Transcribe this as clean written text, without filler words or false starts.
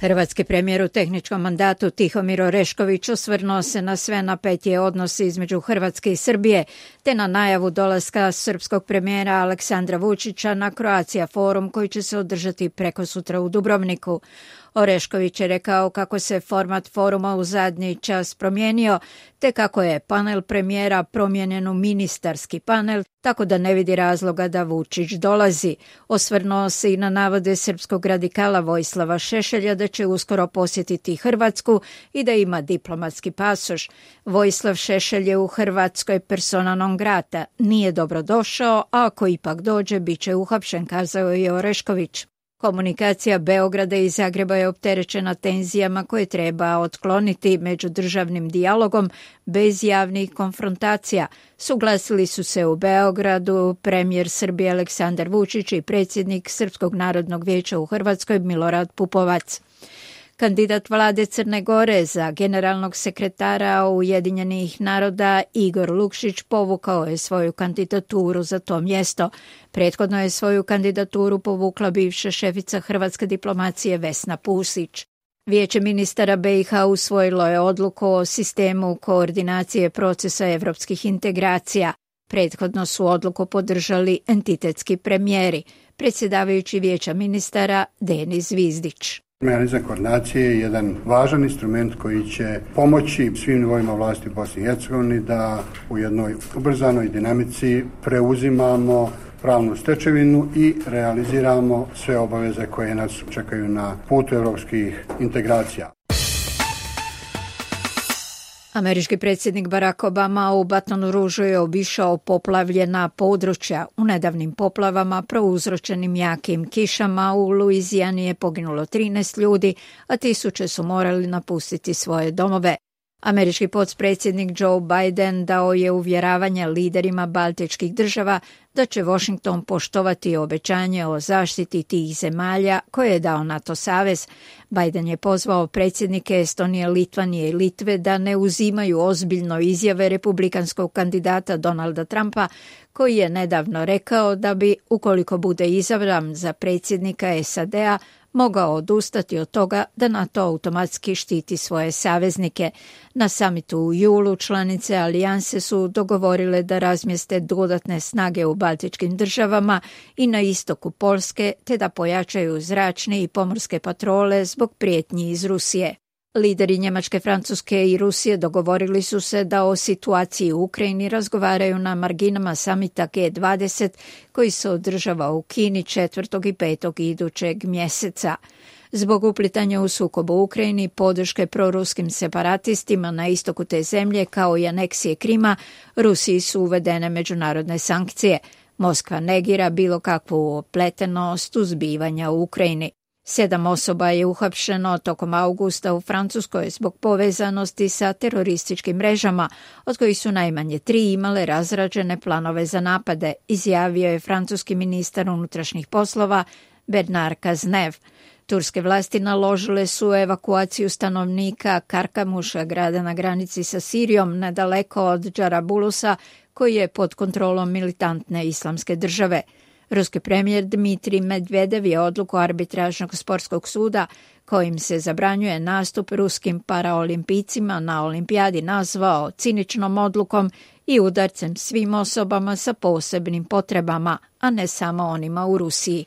Hrvatski premijer u tehničkom mandatu Tihomir Orešković osvrnuo se na sve napetije odnose između Hrvatske i Srbije, te na najavu dolaska srpskog premijera Aleksandra Vučića na Croatia forum koji će se održati prekosutra u Dubrovniku. Orešković je rekao kako se format foruma u zadnji čas promijenio, te kako je panel premijera promijenjen u ministarski panel, tako da ne vidi razloga da Vučić dolazi. Osvrnuo se i na navode srpskog radikala Vojislava Šešelja da će uskoro posjetiti Hrvatsku i da ima diplomatski pasoš. Vojislav Šešelj je u Hrvatskoj persona non grata, nije dobrodošao, a ako ipak dođe, bit će uhapšen, kazao je Orešković. Komunikacija Beograda i Zagreba je opterećena tenzijama koje treba otkloniti međudržavnim dijalogom bez javnih konfrontacija. Suglasili su se u Beogradu premijer Srbije Aleksandar Vučić i predsjednik Srpskog narodnog vijeća u Hrvatskoj Milorad Pupovac. Kandidat vlade Crne Gore za generalnog sekretara Ujedinjenih naroda Igor Lukšić povukao je svoju kandidaturu za to mjesto. Prethodno je svoju kandidaturu povukla bivša šefica hrvatske diplomacije Vesna Pusić. Vijeće ministara BiH usvojilo je odluku o sistemu koordinacije procesa evropskih integracija. Prethodno su odluku podržali entitetski premijeri, predsjedavajući vijeća ministara Denis Zvizdić. Mehanizam koordinacije je jedan važan instrument koji će pomoći svim nivoima vlasti u Bosni i Hercegovini da u jednoj ubrzanoj dinamici preuzimamo pravnu stečevinu i realiziramo sve obaveze koje nas čekaju na putu evropskih integracija. Američki predsjednik Barack Obama u Batonu Ružu je obišao poplavljena područja. U nedavnim poplavama prouzročenim jakim kišama u Luizijani je poginulo 13 ljudi, a tisuće su morali napustiti svoje domove. Američki potpredsjednik Joe Biden dao je uvjeravanje liderima baltičkih država da će Washington poštovati obećanje o zaštiti tih zemalja koje je dao NATO savez. Biden je pozvao predsjednike Estonije, Litvanije i Litve da ne uzimaju ozbiljno izjave republikanskog kandidata Donalda Trumpa, koji je nedavno rekao da bi, ukoliko bude izabran za predsjednika SAD-a, mogao odustati od toga da NATO automatski štiti svoje saveznike. Na samitu u julu članice alijanse su dogovorile da razmjeste dodatne snage u baltičkim državama i na istoku Poljske, te da pojačaju zračne i pomorske patrole zbog prijetnji iz Rusije. Lideri Njemačke, Francuske i Rusije dogovorili su se da o situaciji u Ukrajini razgovaraju na marginama samita G20 koji se održava u Kini 4. i 5. idućeg mjeseca. Zbog uplitanja u sukob u Ukrajini, podrške proruskim separatistima na istoku te zemlje kao i aneksije Krima, Rusiji su uvedene međunarodne sankcije. Moskva negira bilo kakvu opletenost u zbivanja u Ukrajini. 7 osoba je uhapšeno tokom augusta u Francuskoj zbog povezanosti sa terorističkim mrežama, od kojih su najmanje 3 imale razrađene planove za napade, izjavio je francuski ministar unutrašnjih poslova Bernard Cazeneuve. Turske vlasti naložile su evakuaciju stanovnika Karkamuša, grada na granici sa Sirijom, nedaleko od Džarabulusa, koji je pod kontrolom militantne islamske države. Ruski premijer Dmitrij Medvedev je odluku arbitražnog sportskog suda kojim se zabranjuje nastup ruskim paraolimpijcima na olimpijadi nazvao ciničnom odlukom i udarcem svim osobama sa posebnim potrebama, a ne samo onima u Rusiji.